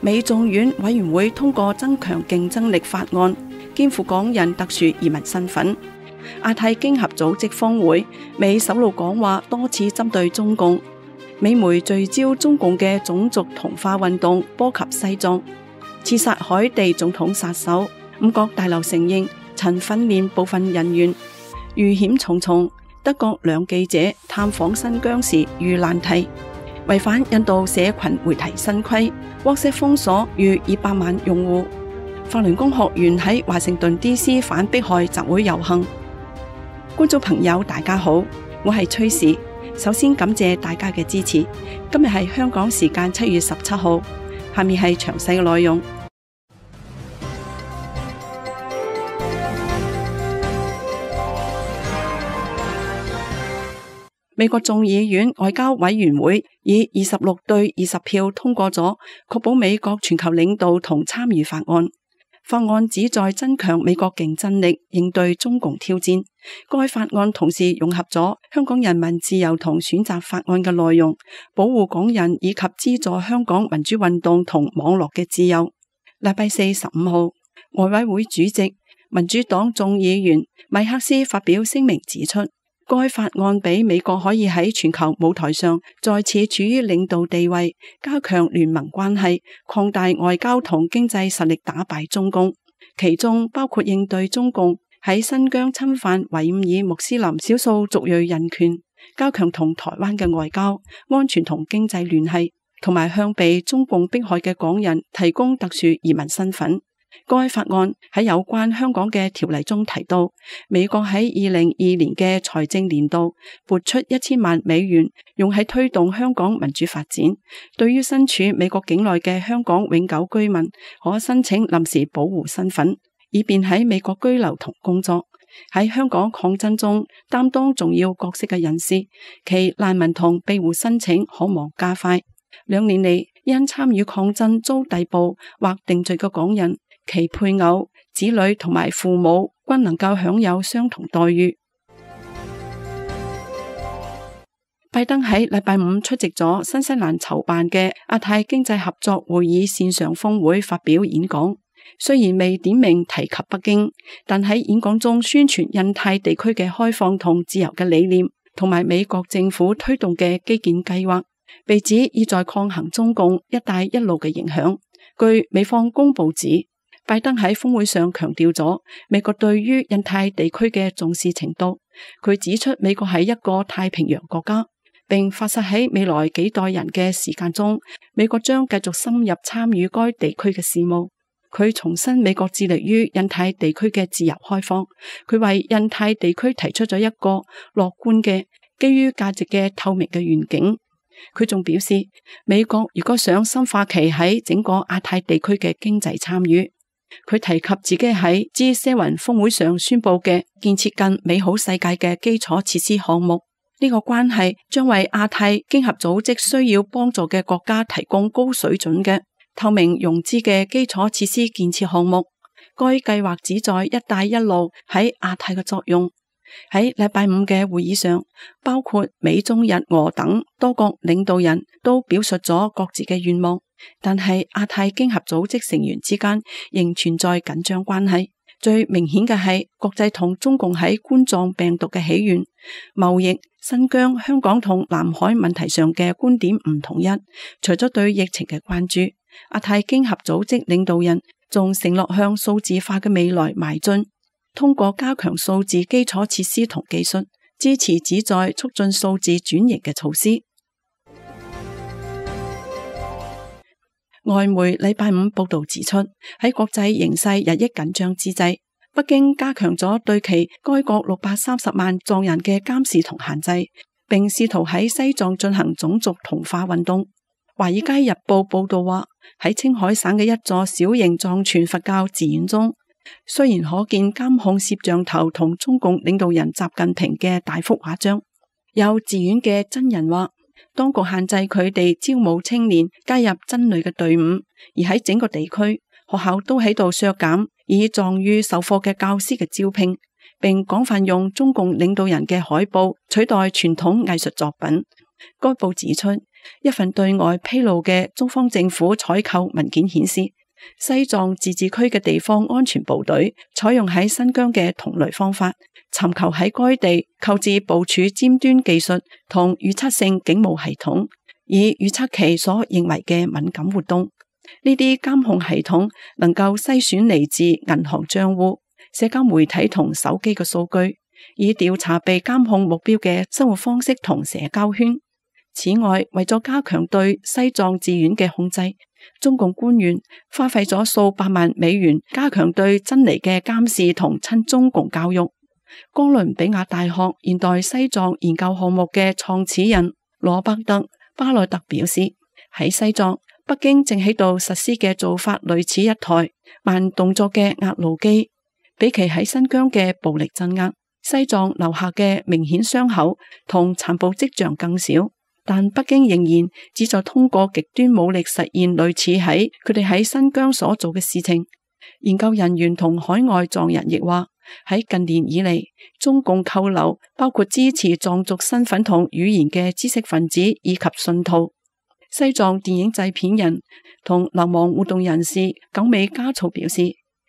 美眾院委員會通過增強競爭力法案，肩負港人特殊移民身份。亞太經合組織峰會，美首腦講話多次針對中共。美媒聚焦中共嘅種族同化運動波及西藏，刺殺海地總統殺手。五角大樓承認曾訓練部分人員。遇險重重，德國兩記者探訪新疆時遇難題。違反印度社群媒體新規，WhatsApp封鎖逾200萬用戶。法輪功學員喺華盛頓 DC 反迫害集會遊行。觀眾朋友大家好，我係崔氏，首先感謝大家嘅支持。今日係香港時間7月17號，下面係詳細嘅內容。美國眾議院外交委員會以26對20票通過咗確保美國全球領導同參與法案。法案旨在增強美國競爭力，應對中共挑戰。該法案同時融合咗香港人民自由同選擇法案嘅內容，保護港人以及資助香港民主運動同網絡嘅自由。禮拜4 15號，外委會主席民主黨眾議員米克斯發表聲明指出，該法案俾美國可以喺全球舞台上再次處於領導地位，加強聯盟關係，擴大外交同經濟實力，打敗中共。其中包括應對中共喺新疆侵犯維吾爾穆斯林少數族裔人權，加強同台灣嘅外交、安全同經濟聯繫，同埋向被中共迫害嘅港人提供特殊移民身份。該法案喺有關香港嘅條例中提到，美國喺2022年嘅財政年度撥出1000萬美元，用喺推動香港民主發展。對於身處美國境內嘅香港永久居民，可申請臨時保護身份，以便喺美國居留同工作。喺香港抗爭中擔當重要角色嘅人士，其難民同庇護申請可望加快。2年嚟，因參與抗爭遭逮捕或定罪嘅港人，其配偶、子女同埋父母均能夠享有相同待遇。拜登喺禮拜5出席咗新西蘭籌辦嘅亞太經濟合作會議線上峰會發表演講，雖然未點名提及北京，但喺演講中宣傳印太地區嘅開放同自由嘅理念，同埋美國政府推動嘅基建計劃，被指意在抗衡中共一帶一路嘅影響。據美方公報指，拜登喺峰會上強調咗美國對於印太地區嘅重視程度。佢指出美國係一個太平洋國家，並發誓喺未來幾代人嘅時間中，美國將繼續深入參與該地區嘅事務。佢重申美國致力於印太地區嘅自由開放。佢為印太地區提出咗一個樂觀嘅基於價值嘅透明嘅願景。佢仲表示，美國如果想深化其喺整個亞太地區嘅經濟參與，佢提及自己喺 G7 峰會上宣布嘅建設更美好世界嘅基礎設施項目。呢個關係將為亞太經合組織需要幫助嘅國家提供高水準嘅透明融資嘅基礎設施建設項目。該計劃旨在一帶一路喺亞太嘅作用。喺禮拜5嘅會議上，包括美中日俄等多國領導人都表述咗各自嘅願望，但係亞太經合組織成員之間仍存在緊張關係。最明顯嘅係國際同中共喺冠狀病毒嘅起源、貿易、新疆、香港同南海問題上嘅觀點唔統一。除咗對疫情嘅關注，亞太經合組織領導人仲承諾向數字化嘅未來邁進，通過加強數字基礎設施同技術，支持旨在促進數字轉型嘅措施。外媒禮拜5報道指出，喺國際形勢日益緊張之際，北京加強咗對其該國630萬藏人嘅監視同限制，並試圖喺西藏進行種族同化運動。華爾街日報報道話，喺青海省嘅一座小型藏傳佛教寺院中，雖然可見監控攝像頭同中共領導人習近平嘅大幅畫像，有寺院嘅真人話，當局限制佢哋招募青年加入僧侶嘅隊伍，而喺整個地區，學校都喺度削減以藏語授課嘅教師嘅招聘，並廣泛用中共領導人嘅海報取代傳統藝術作品。該報指出，一份對外披露嘅中方政府採購文件顯示，西藏自治區嘅地方安全部隊採用喺新疆嘅同類方法，尋求喺該地購置部署尖端技術同預測性警務系統，以預測其所認為嘅敏感活動。呢啲監控系統能夠篩選嚟自銀行賬戶、社交媒體同手機嘅數據，以調查被監控目標嘅生活方式同社交圈。此外，為咗加強對西藏自院嘅控制，中共官員花費咗數百萬美元加強對真尼嘅監視同親中共教育。哥倫比亞大學現代西藏研究項目嘅創始人羅伯特巴內特表示，喺西藏，北京正喺度實施嘅做法類似一台慢動作嘅壓路機，比其喺新疆嘅暴力鎮壓，西藏留下嘅明顯傷口同殘暴跡象更少。但北京仍然旨在通過極端武力實現類似喺佢哋喺新疆所做嘅事情。研究人員同海外藏人亦話，喺近年以嚟，中共扣留包括支持藏族身份同語言嘅知識分子以及信徒。西藏電影製片人同流亡活動人士久美加措表示，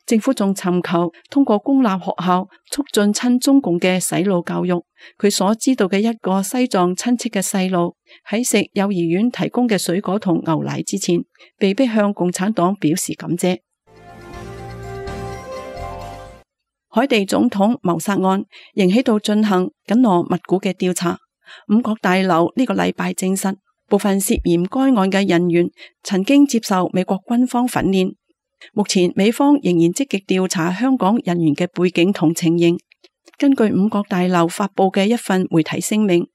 政府仲尋求通過公立學校促進親中共嘅洗腦教育。佢所知道嘅一個西藏親戚嘅細路喺食幼兒園提供嘅水果同牛奶之前，被迫向共產黨表示感謝。海地總統謀殺案仍喺度進行緊鑼密鼓嘅調查。五角大樓呢個禮拜證實，部分涉嫌該案嘅人員曾經接受美國軍方訓練。目前美方仍然積極調查香港人員嘅背景同情形。根據五角大樓發佈嘅一份媒體聲明，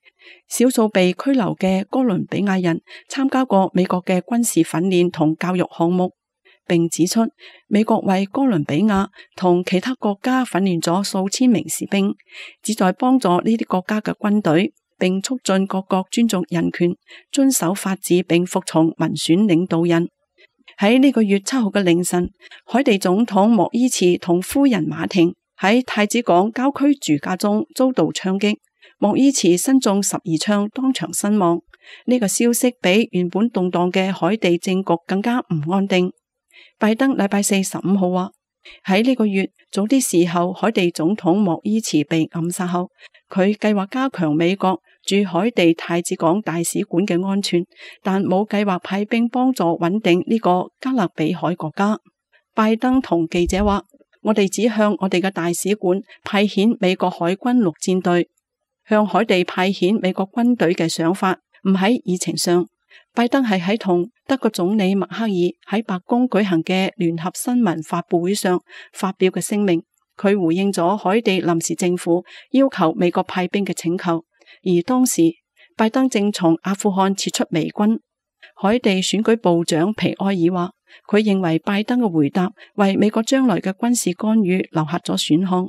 少數被拘留嘅哥倫比亞人參加過美國嘅軍事訓練同教育項目，並指出美國為哥倫比亞同其他國家訓練咗數千名士兵，旨在幫助呢啲國家嘅軍隊，並促進各國尊重人權、遵守法治並服從民選領導人。喺呢個月7號嘅凌晨，海地總統莫伊茨同夫人馬婷喺太子港郊區住家中遭到槍擊，莫伊茨身中12槍，當場身亡。呢個消息比原本動盪嘅海地政局更加唔安定。拜登禮拜4 15號話，喺呢個月早啲時候，海地總統莫伊茨被暗殺後，佢計劃加強美國駐海地太子港大使館嘅安全，但冇計劃派兵幫助穩定呢個加勒比海國家。拜登同記者話，我哋只向我哋嘅大使館派遣美國海軍陸戰隊，向海地派遣美國軍隊嘅想法唔喺議程上。拜登係喺同德國總理默克爾喺白宮舉行嘅聯合新聞發佈會上發表嘅聲明，佢回應咗海地臨時政府要求美國派兵嘅請求，而當時拜登正從阿富汗撤出美軍。海地選舉部長皮埃爾話，佢認為拜登嘅回答為美國將來嘅軍事干預留下咗選項。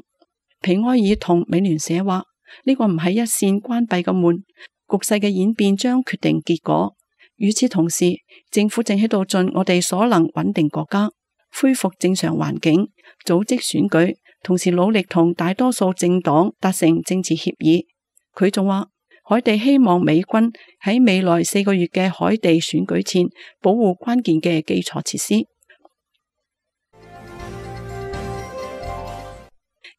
皮埃爾同美聯社話，呢個唔係一扇關閉嘅門，局勢嘅演變將決定結果。與此同時，政府正喺度盡我哋所能穩定國家，恢復正常環境，組織選舉，同時努力同大多數政黨達成政治協議。佢仲話，海地希望美軍喺未來4個月嘅海地選舉前保護關鍵嘅基礎設施。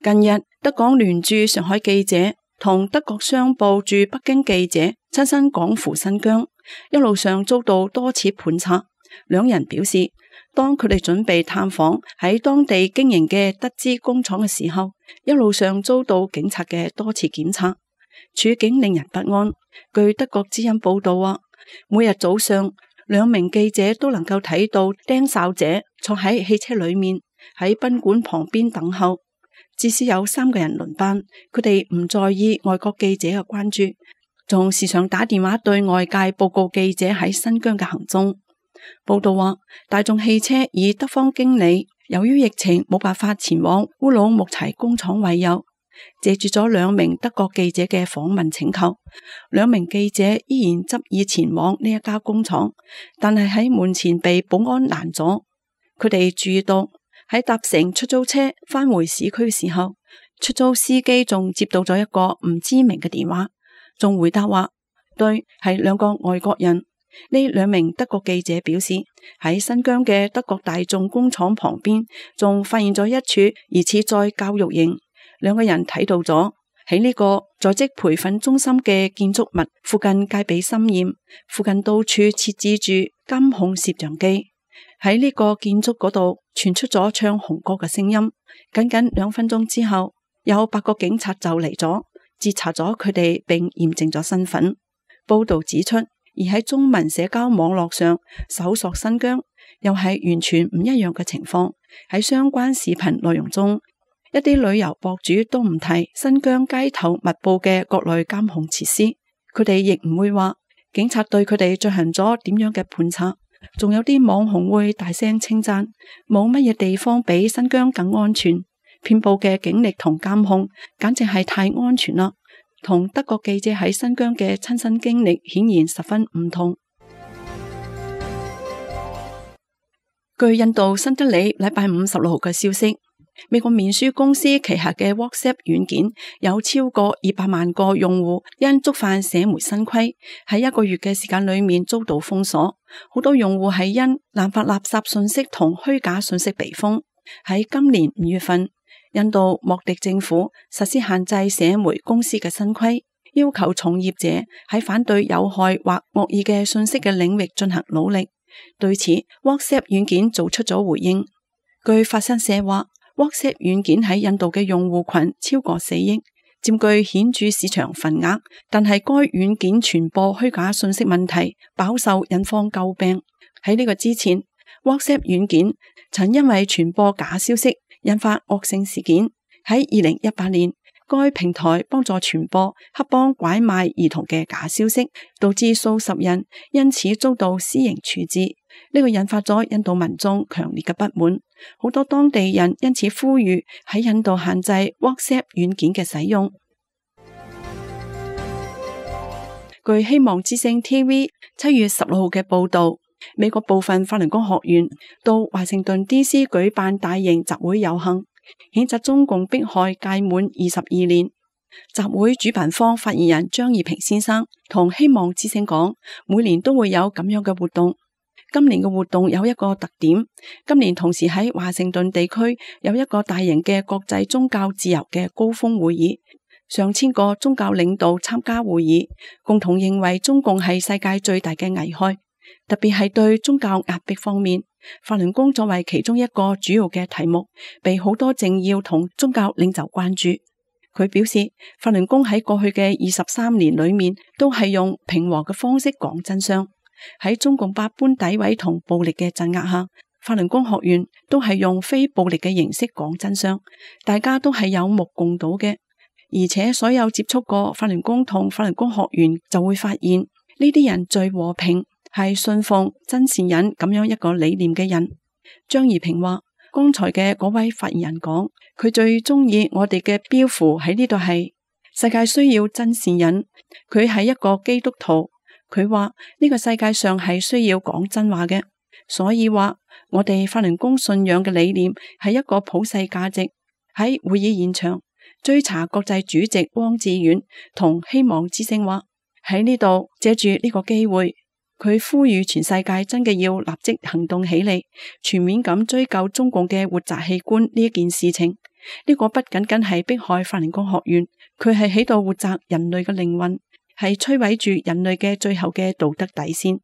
近日，德港聯駐上海記者同德國商報駐北京記者親身趕赴新疆，一路上遭到多次盤查。兩人表示，當佢哋準備探訪喺當地經營嘅德資工廠嘅時候，一路上遭到警察嘅多次檢查，處境令人不安。據德國之音報道話，每日早上2名記者都能夠睇到盯梢者坐喺汽車裏面喺賓館旁邊等候，至少有3個人輪班。佢哋唔在意外國記者嘅關注，仲時常打電話對外界報告記者喺新疆嘅行蹤。報道話，大眾汽車以德方經理由於疫情冇辦法前往烏魯木齊工廠為由，借住咗2名德國記者嘅訪問請求，2名記者依然執意前往呢一家工廠，但係喺門前被保安攔咗。佢哋注意到喺搭乘出租車返回市區嘅時候，出租司機仲接到咗一個唔知名嘅電話，仲回答話對，係2個外國人。呢兩名德國記者表示，喺新疆嘅德國大眾工廠旁邊仲發現咗一處疑似在教育營。兩個人睇到咗喺呢個在職培訓中心嘅建築物附近戒備森嚴，附近到處設置住監控攝像機。喺呢個建築嗰度傳出咗唱紅歌嘅聲音。僅僅2分鐘之後，有8個警察就嚟咗，截查咗佢哋並驗證咗身份。報道指出，而喺中文社交網絡上搜索新疆，又係完全唔一樣嘅情況。喺相關視頻內容中，一啲旅遊博主都唔提新疆街頭密佈嘅各類監控設施，佢哋亦唔會話警察對佢哋進行咗點樣嘅盤查。仲有啲網紅會大聲稱讚，冇乜嘢地方比新疆更安全，遍佈嘅警力同監控簡直係太安全啦，同德國記者喺新疆嘅親身經歷顯然十分唔同。據印度新德里禮拜5 16號嘅消息，美國面書公司旗下嘅 WhatsApp 軟件有超過200萬個用戶因觸犯社媒新規，喺1個月嘅時間裏面遭到封鎖。好多用戶係因濫發垃圾信息同虛假信息被封。喺今年5月份，印度莫迪政府實施限制社媒公司嘅新規，要求從業者喺反對有害或惡意嘅信息嘅領域進行努力。對此 WhatsApp 軟件做出咗回應。據法新社話，WhatsApp 軟件喺印度嘅用戶群超過4億，佔據顯著市場份額，但係該軟件傳播虛假信息問題飽受印方詬病。喺呢個之前， WhatsApp 軟件曾因為傳播假消息引發惡性事件。喺2018年，該平台幫助傳播黑幫拐賣兒童嘅假消息，導致數十人因此遭到私刑處置。呢個引發咗印度民眾強烈嘅不滿，好多當地人因此呼籲喺印度限制 WhatsApp 軟件嘅使用。據希望之聲 TV 7月16號嘅報道，美國部分法輪功學員到華盛頓 DC 舉辦大型集會遊行，譴責中共迫害屆滿22年。集會主辦方發言人張義平先生同希望之聲講，每年都會有咁樣嘅活動。今年嘅活動有一個特點，今年同時喺華盛頓地區有一個大型嘅國際宗教自由嘅高峰會議，上千個宗教領導參加會議，共同認為中共係世界最大嘅危害，特別係對宗教壓迫方面，法輪功作為其中一個主要嘅題目，被好多政要同宗教領袖關注。佢表示，法輪功喺過去嘅23年裏面，都係用平和嘅方式講真相。喺中共百般詆毀同暴力嘅鎮壓下，法輪功學員都係用非暴力嘅形式講真相，大家都係有目共睹嘅。而且所有接觸過法輪功同法輪功學員就會發現，呢啲人最和平，係信奉真善忍咁樣一個理念嘅人。張怡平話，剛才嘅嗰位發言人講，佢最中意我哋嘅標符喺呢度係世界需要真善忍。佢係一個基督徒。佢話呢個世界上係需要講真話嘅，所以話我哋法輪功信仰嘅理念係一個普世價值。喺會議現場，追查國際主席汪志遠同希望之聲話，喺呢度借住呢個機會，佢呼籲全世界真嘅要立即行動起嚟，全面咁追究中共嘅活摘器官呢一件事情。呢個不僅僅係迫害法輪功學員，佢係喺度活摘人類嘅靈魂，係摧毀住人類嘅最後嘅道德底線，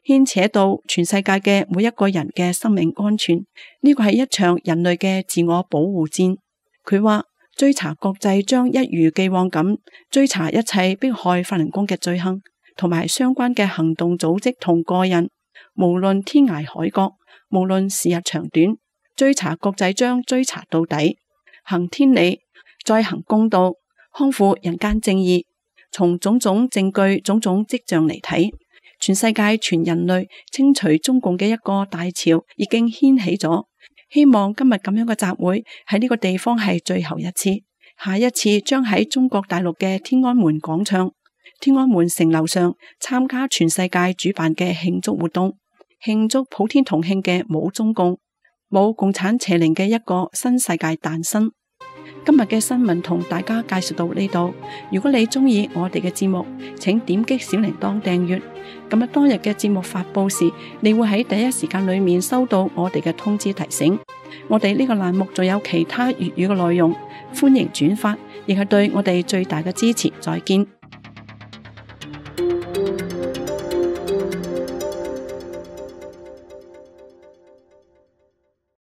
牽扯到全世界嘅每一個人嘅生命安全。呢個係一場人類嘅自我保護戰。佢話追查國際將一如既往咁追查一切迫害法輪功嘅罪行，同埋相關嘅行動組織同個人，無論天涯海角，無論時日長短，追查國際將追查到底，行天理，再行公道，康復人間正義。從種種證據、種種跡象嚟睇，全世界全人類清除中共嘅一個大潮已經掀起咗。希望今日咁樣嘅集會喺呢個地方係最後一次，下一次將喺中國大陸嘅天安門廣場、天安門城樓上參加全世界主辦嘅慶祝活動，慶祝普天同慶嘅冇中共、冇共產邪靈嘅一個新世界誕生。今日嘅新聞同大家介紹到呢度。如果你鍾意我哋嘅節目，請點擊小鈴鐺訂閱。咁當日嘅節目發佈時，你會喺第一時間裏面收到我哋嘅通知提醒。我哋呢個欄目仲有其他粵語嘅內容，歡迎轉發，亦係對我哋最大嘅支持。再見。